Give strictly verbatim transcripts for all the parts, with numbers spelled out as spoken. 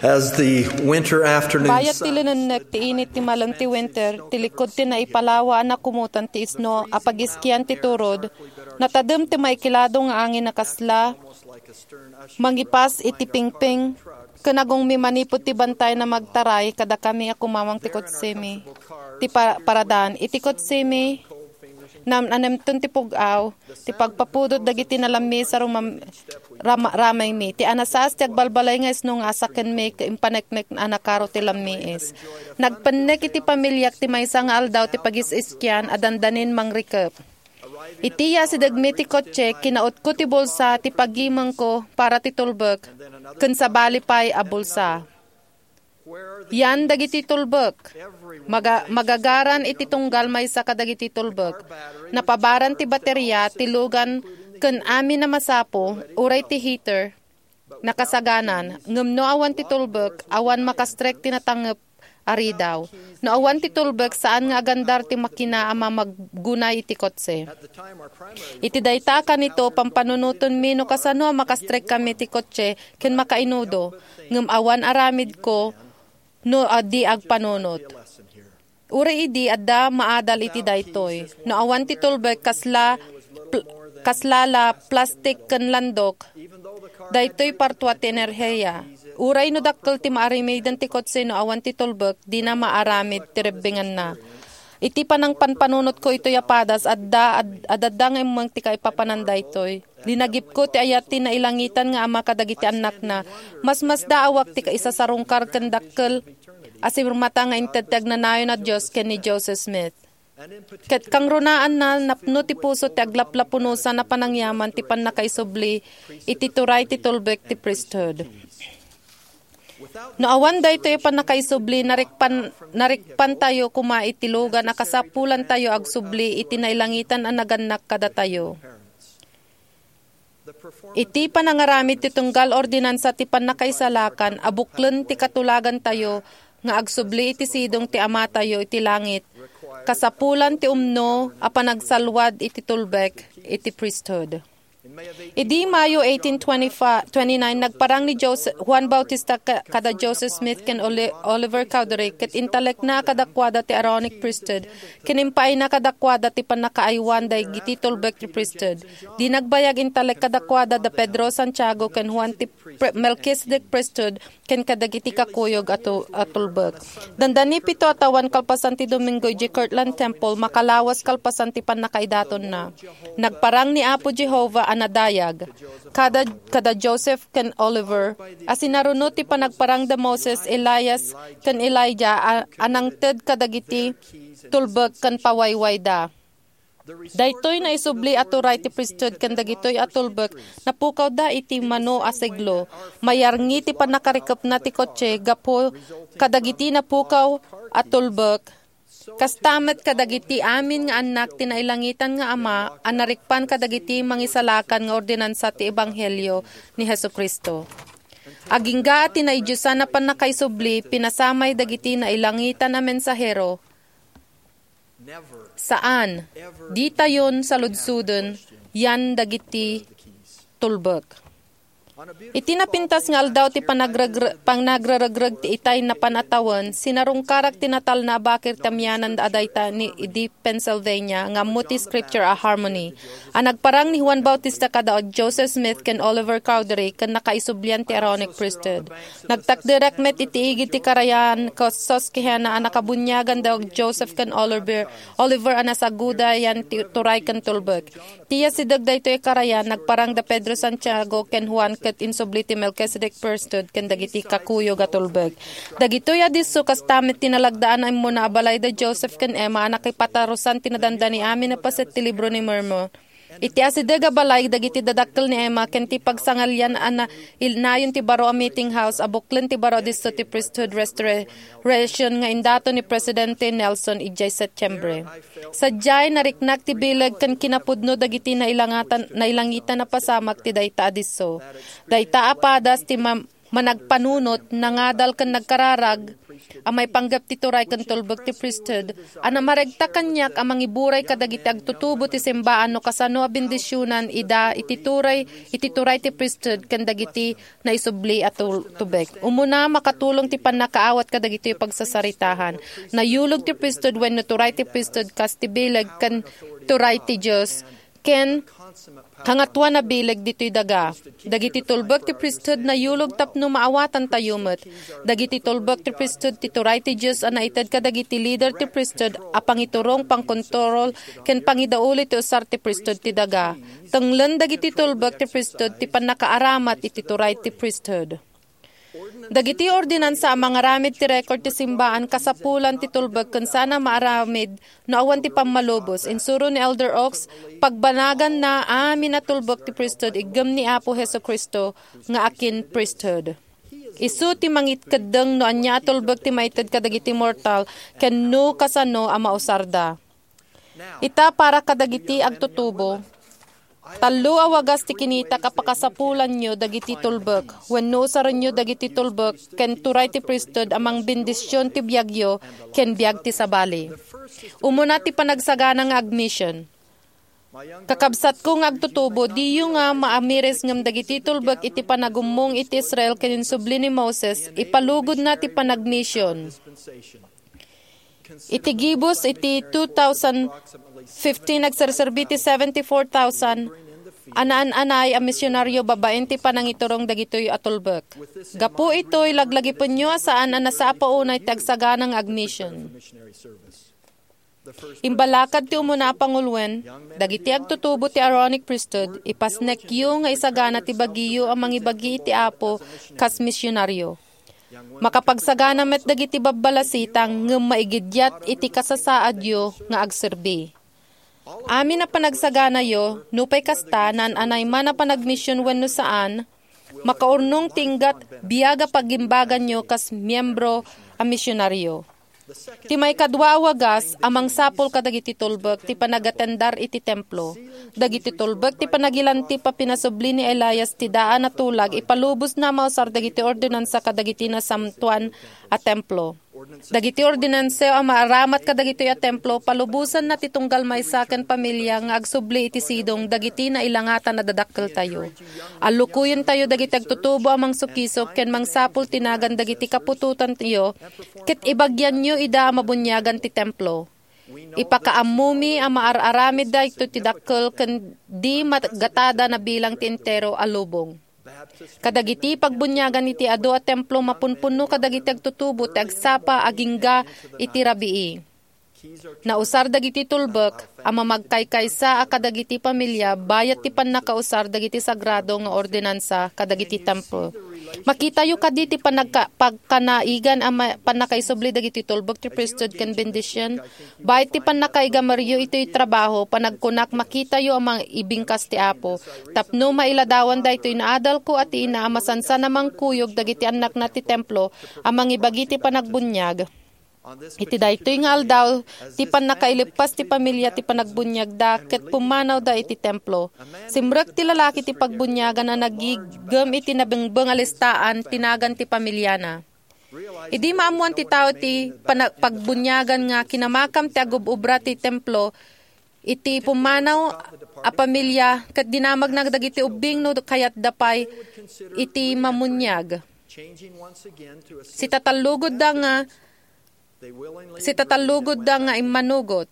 As the winter afternoon Bayat ti sun linennek ti init ti malem ti winter, ti likud ti naipalawa a nakumutan ti isno a pagiskian ti turod, natadem ti maikilado nga angin a kasla mangipas iti pingping ken agongmi manipud ti bantay na magtaray kadakami a kumamang ti kotsemi. Ti pa-, paradan iti kotsemi, nam-, nanemton ti pug-aw, ti pagpapudot dagiti nalammis a rumam-, rama-, ramaymi, ti anasaas ti agbalbalay nga isno nga asakenmi ket impaneknek a nakaro ti lammiis. Nagpennek iti pamiliak ti maysa nga aldaw ti pagis-iskian a dandanin mangrikep. Iti yasidegmi ti kotse, kinautko ti bulsa ti pagimengko para ti tulbek, ken sabali pay a bulsa. Yan dagiti tulbek. Maga-, magagaran iti tunggal maysa kadagiti tulbek. Napabaran ti bateria, ti lugan, ken amin a masapo, uray ti heater, nakasaganan. Ngem no awan ti tulbek, awan makastrek ti natangngep a ridaw. No awan ti tulbek, saan nga agandar ti makina a mamaggunay iti kotse. Iti dayta a kanito, pampanunotenmi no kasano a makastrekkami ti kotse ken makainudo, ngem awan aramidko no a di agpanunot. Uray idi adda maadal iti daytoy. No awan ti tulbek, kasla, pl-, kasla la plastik ken landok, daytoy partua ti enerhiya. Uray no dakkel ti maaramiden ti kotse no awan ti tulbek, dina maaramid ti rebbenganna. Iti panangpanpanunotko itoy a padas, adda, ad-, adda nga immeng ti kaipapanan daytoy. Linagipko ti ayat ti nailangitan nga Ama kadagiti annakna. Masmasdaawak ti kaisasarungkar ken dakkel a sirmata nga inted ti agnanayon a Dios ken ni Joseph Smith. Ket kangrunaanna, napno ti puso ti aglaplapunosan a panangyaman ti pannakaisubli iti turay ti tulbek ti priesthood. No awan daytoy a pannakaisubli, narikpan-, narikpantayo koma iti lugan a kasapulantayo agsubli iti nailangitan a nagannak kadatayo. Iti panangaramid ti tunggal ordinansa ti pannakaisalakan a buklen ti katulagantayo nga agsubli iti sidong ti Amatayo iti langit, kasapulan ti umno a panagsalwad iti tulbek iti priesthood. Idi Mayo eighteen twenty-five, twenty-nine, nagparang ni Jose-, Juan Bautista ka-, kada Joseph Smith ken Oli-, Oliver Cowdery, ket intalekna kadakuada ti Aaronic priesthood, ken impaayna kadakuada ti pannakaaywan dagiti tulbek ti priesthood. Di nagbayag intalek kadakuada da Pedro Santiago ken Juan ti Pre-, Melchizedek priesthood, ken kadagiti kakuyog a tu-, a tulbek. Dandani pito a tawen kalpasan ti Domingo idiay Kirtland Temple, makalawas kalpasan ti pannakaidatonna. Nagparang ni Apo Jehovah a nadayag kada, kada Joseph ken Oliver a sinaruno ti panagparang da Moses, Elias, ken Elijah a, a nangted kadagiti tulbek ken pawaywayda. Daytoy naisubli a turay ti priesthood ken dagitoy a tulbek napukawda iti mano a siglo. Mayarngi ti pannakarikepna ti kotse gapu kadagiti napukaw a tulbek. Kasta met kadagiti amin nga annak ti nailangitan nga Ama a narikpan kadagiti mangisalakan nga ordinansa ti ebanghelio ni Jesu-Cristo. Agingga ti naidiosan a pannakaisubli, pinasamay dagiti nailangitan a mensahero. Saan. Ditayon saludsoden yan dagiti tulbek. Iti napintas nga aldaw ti panagregre-, panagreregreg ti itay napan a tawen, sinarungkarak ti natalna a bakir ti amianan a dayta ni idi Pennsylvania nga ammo ti Scripture a Harmony a nagparang ni Juan Bautista kada Joseph Smith ken Oliver Cowdery ken nakaisublian ti Aaronic Priesthood. Nagtakderak met iti igid ti karayan ket Susquehanna a nakabuniagan da Joseph ken Oliver, Oliver a nasaguda yan ti turay ken tulbek. Ti asideg daytoy a karayan, nagparang da Pedro Santiago ken Juan ket insubli ti Melchizedek Priesthood ken dagiti kakuyog a tulbek. Dagitoy a disso kasta met ti nalagdaan a immuna a balay da Joseph ken Emma a nakipatarusan ti nadandani amin a paset ti Libro ni Mormon. Iti asideg a balay dagiti dadakkel ni Emma ken ti pagsangalian a na-, il-, nayon ti baro a meeting house a buklen ti baro a disso ti Priesthood Restoration nga indaton ni Presidente Nelson idiay Setyembre. Sadiay, nariknak ti bileg ken kinapudno dagiti nailangatan-, nailangitan a pasamak ti dayta a disso. Dayta a padas ti ma-, managpanunot, nangadal ken nagkararag a maipanggep ti turay ken tulbek ti priesthood a namaregta kaniak a mangiburay kadagiti agtutubo ti simbaan no kasano a bendisionan ida iti turay, iti turay ti priesthood ken dagiti naisubli a tul-, tubek. Umuna, makatulong ti pannakaawat kadagitoy pagsasaritahan. Nayulog ti priesthood wenno turay ti priesthood kas ti bileg ken turay ti Dios ken kangatoan a bileg ditoy daga. Dagiti tulbek ti priesthood nayulog tapno maawatantayo met. Dagiti tulbek ti priesthood ti turay ti Dios a naited kadagiti lider ti priesthood a pangiturong, pangkontrol, ken pangidauli ti usar ti priesthood ti daga. Tenglen dagiti tulbek ti priesthood ti pannakaaramat iti turay ti priesthood. Dagiti ordinansa a mangaramid ti record ti simbaan kasapulan ti tulbek ken saan a maaramid no awan ti pammalubos. Insuro ni Elder Oaks, pagbanaganna amin a tulbek ti priesthood iggem ni Apo Jesu-Cristo nga akin priesthood. Isu ti mangikeddeng no ania a tulbek ti maited kadagiti mortal ken no kasano a mausarda. Ita para kadagiti agtutubo, tallo a wagas ti kinitak a pakasapulanyo dagiti tulbek, wenno usarenyo dagiti tulbek ken turay ti priesthood a mangbendision ti biagyo ken biag ti sabali. Umuna ti panagsagana nga agmission. Kakabsatko nga agtutubo, diyo nga maamiris ngem dagiti tulbek iti panagummong iti Israel ken insubli ni Moses, ipalugodna ti panagmission. Iti gibus iti two thousand fifteen, nagserserbi ti seventy-four thousand a naan-anay a misionaryo babaen ti panangiturong dagitoy a tulbek. Gapu itoy, laglagipenyo a saan a nasapa unay ti agsagana nga agmission. Imbalakad ti umuna a panguloen, dagiti agtutubo ti Aaronic Priesthood, ipasnekyo nga isagana ti bagiyo a mangibagi iti Apo kas misionaryo. Makapagsagana met dagiti babbalasitang ngem maigiddiat iti kasasaadyo nga agserbi. Amin a panagsaganayo, nupay kasta, naan-anay man a panagmission wenno saan, makaurnong ti inggat biag a pagimbaganyo kas miembro a misionaryo. Ti maikadua a wagas a mangsapul kadagiti tulbek ti panagatendar iti templo. Dagiti tulbek ti panagilantip a pinasubli ni Elias ti daan a tulag ipalubosna a mausar dagiti ordinansa kadagiti nasantoan a templo. Dagiti ordinansa a maaramat kadagitoy a templo, palubosanna ti tunggal maysa ken pamilia nga agsubli iti sidong dagiti nailangatan a dadakkeltayo. Allukoyentayo dagiti agtutubo a mangsukisok ken mangsapul ti nagan dagiti kaputotanyo, ket ibagianyo ida a mabuniagan ti templo. Ipakaammomi a maar-aramid daytoy ti dakkel ken di magatada nabilang ti entero a lubong. Kadagiti pagbuniagan iti adu a templo mapunpunno kadagiti agtutubo ti agsapa agingga iti rabii. Nausar dagiti tulbek a mamagkaykaysa a kadagiti pamilia bayat ti pannakausar dagiti sagrado nga ordinansa kadagiti templo. Makitayo kadi ti panagka-, pagkanaigan a ma-, pannakaisubli dagiti tulbek ti priesthood ken bendision? Bayat ti pannakaigameryo itoy trabaho, panagkunak, makitayo a maibingkas ti Apo. Tapno mailadawan daytoy, naadalko a ti ina a masansan a mangkuyog dagiti annakna ti templo a mangibagi ti panagbuniag. Iti daytoy nga aldaw, ti pannakaileppas ti pamilia ti panagbuniagda ket pummanawda iti templo. Simrek ti lalaki ti pagbuniagan a nagigem iti nabengbeng a listaan ti nagan ti pamiliana. Idi maammoan ti tao ti pana-, pagbuniagan nga kinamakam ti agub-ubra ti templo, iti pummanaw a pamilia ket dinamagna dagiti ubbing no kayatda pay iti mamuniag. Sitatallugotda nga, sitatallugotda nga immanugot.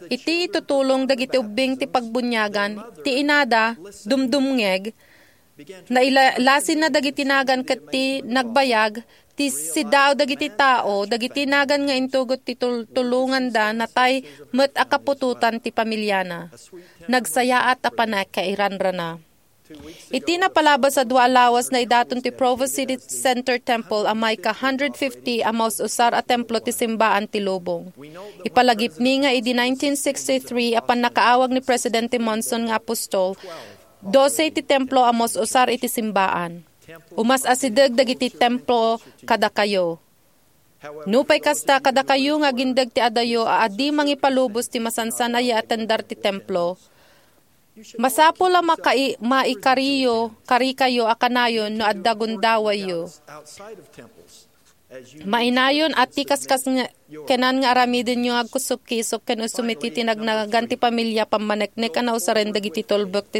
Iti itutulong dagiti ubbing ti pagbuniagan, ti inada, dumdumngeg, nailalasinna dagiti nagan ket ti nagbayag, ti siddaaw dagiti tao, dagiti nagan nga intugot ti tul-, tulonganda, natay met a kaputotan ti pamiliana. Nagsayaat a pannakairanrana. Iti napalabas a dua a lawas, naidaton ti Provo City Center Temple a maika hundred fifty a maus-usar a templo ti simbaan ti lubong. Ipalagipmi nga idi nineteen sixty-three a pannakaawag ni Presidente Monson nga apostol, dose ti templo a maus-usar iti simbaan. Umas-asideg dagiti templo kadakayo. Nupay kasta, kadakayo nga agindeg ti adayo a adi mangipalubos ti masansan a yaatendar ti templo, masapul a makai-, maikariyo, karikayo a kanayon no adda gundawayyo. Mainayon a ti kaskas nga kenan nga aramidenyo nga agkusok-kisok ken usumiti ti nagnagan ti pamilia pammaneknek a nausaren dagiti tulbek ti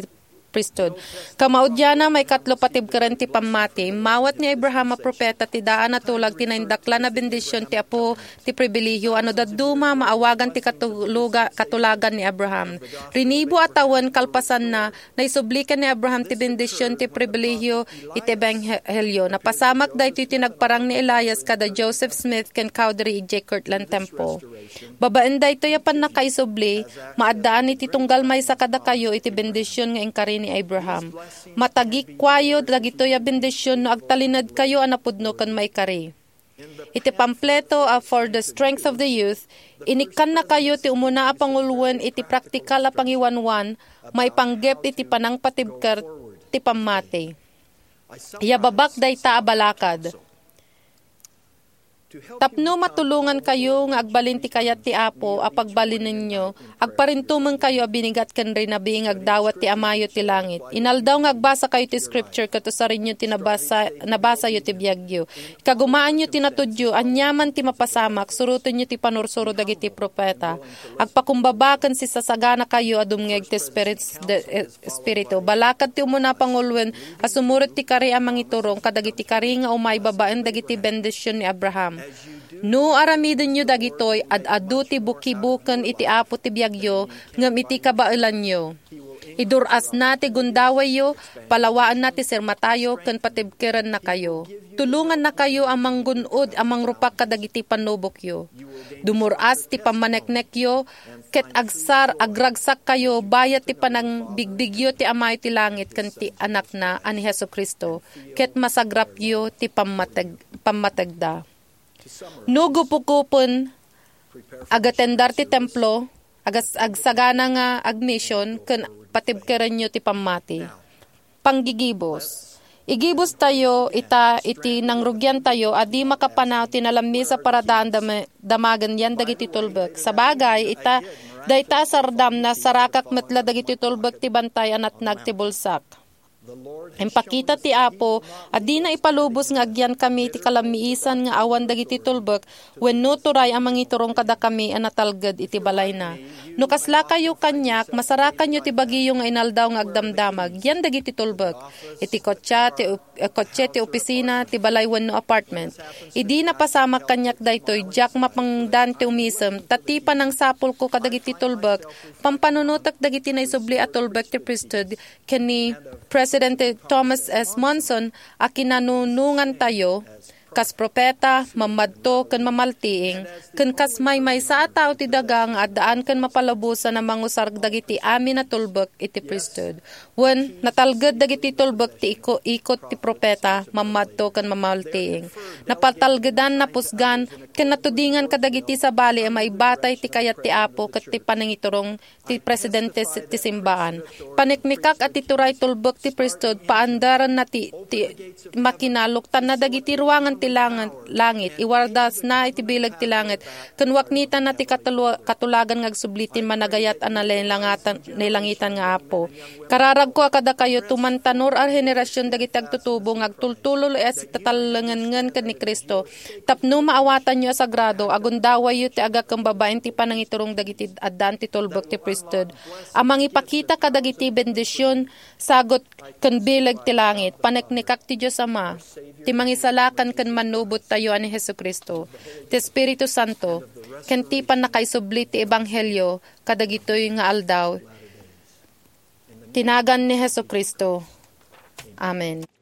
priesthood. Kamaudiana, maikatlo, patibkeren ti pammati. Immawat ni Abraham a profeta ti daan a tulag ti naindaklan a bendision ti Apo ti pribilehiyo a no dadduma, maawagan ti katuluga-, katulagan ni Abraham. Rinibo a tawen kalpasanna, naisubli ken ni Abraham ti bendision ti pribilehiyo iti ebanghelio. Napasamak daytoy ti nagparang ni Elias kada Joseph Smith ken Cowdery idiay Kirtland Temple. Babaen daytoy a pannakaisubli, maaddaan iti tunggal maysa kadakayo iti bendision nga inkari ni Abraham. Matagikuayo dagitoy a bendision no agtalinedkayo a napudno ken maikari. Iti pampleto a For the Strength of the Youth, inikkannakayo ti umuna a panguloen iti praktikal a pangiwanwan maipanggep iti panangpatibker ti pammati. Yababak dayta a balakad. Tapno matulongankayo nga agbalin ti kayat ti Apo a pagbalinenyo, agparintumengkayo a binigat ken rinabii nga agdawat ti Amayo ti langit. Inaldaw nga agbasakayo ti scripture ket usarenyo ti nabasa, nabasayo ti biagyo. Ikagumaanyo ti natudyo, aniaman ti mapasamak, surotenyo ti panursuro dagiti profeta. Agpakumbaba ken sisasaganakayo a dumngeg ti Spirit, de, eh, Espiritu. Balakad ti umuna a panguloen a sumurot ti kari a mangiturong kadagiti kari nga umay babaen dagiti bendision ni Abraham. No aramidenyo dagitoy, ad-adu ti bukibuken iti Apo ti biagyo, ngem iti kabaelanyo, idur-asna ti gundawayyo, palawaenna ti sirmatayo, ken patibkerennakayo. Tulongannakayo a manggun-od a mangrupak kadagiti pannubokyo. Dumur-as ti pammaneknekyo, ket agsar-, agragsakkayo bayat ti panangbigbigyo ti Amayo ti langit ken ti Anakna a ni Jesu-Cristo, ket masagrapyo ti pammateg-, pammategda. No gupugupen, agatendar ti templo, agas-, agsagana nga agmision, ken patibkerenyo ti pammati. Panggigibus. Igibustayo ita iti nangrugiantayo a di makapanaw ti nalammisa para daan dama-, damagen yan dagiti tulbek. Sabagay, ita, dayta a sardam, nasarakak met la dagiti tulbek ti bantay a natnag ti bulsak. Impakita ti Apo a dina ipalubos nga agyankami ti kalammiisan nga awan dagiti tulbek wenno turay a mangiturong kadakami a natalged iti balayna. No kaslakayo kaniak, masarakanyo ti bagiyo nga inaldaw nga agdamdamag, yan dagiti tulbek. Iti kotse, ti op-, eh, kotse, ti opisina, ti balay wenno apartment. Idi napasamak kaniak daytoy, diak mapangdan ti umisem, ta ti panangsapulko kadagiti tulbek, pampanunotek dagiti naisubli a tulbek ti priesthood, ken ni Presidente Thomas S. Monson a kinanunongantayo, kas propeta, mammadto, ken mamaltiing, ken kas maymaysa a tao ti daga nga addaan ken mapalubosan a mangusar dagiti amin a tulbek iti priesthood. Wen, natalged dagiti tulbek ti iko-, ikot ti propeta, mammadto, ken mamaltiing. Napatalgedan, napusgan, ken natudingan kadagiti sabali a maibatay ti kayat ti Apo ket ti panangiturong ti presidente s-, ti simbaan. Paniknikak a ti turay tulbek ti priesthood, paandaranna ti, ti makina, luktanna dagiti ruangan ti langan-, langit, iwardasna iti bileg ti langit, ken waknitanna ti katulu-, katulagan nga agsubli ti managayat a nalelangatan-, nailangitan nga Apo. Kararagko a kadakayo, tumantanor a henerasion dagiti agtutubo nga agtultulol a sitatallengen ken ni Cristo, tapno maawatanyo a sagrado, agundawayyo ti agakem babaen ti panangiturong dagiti addaan ti tulbek ti priesthood, a mangipakita kadagiti bendision, sagut, ken bileg ti langit. Paneknekak ti Dios Ama, ti Mangisalakan ken Mannubottayo a ni Jesu-Cristo, ti Espiritu Santo, ken ti pannakaisubli ti ebanghelio kadagitoy nga aldaw. Ti nagan ni Jesu-Cristo. Amen.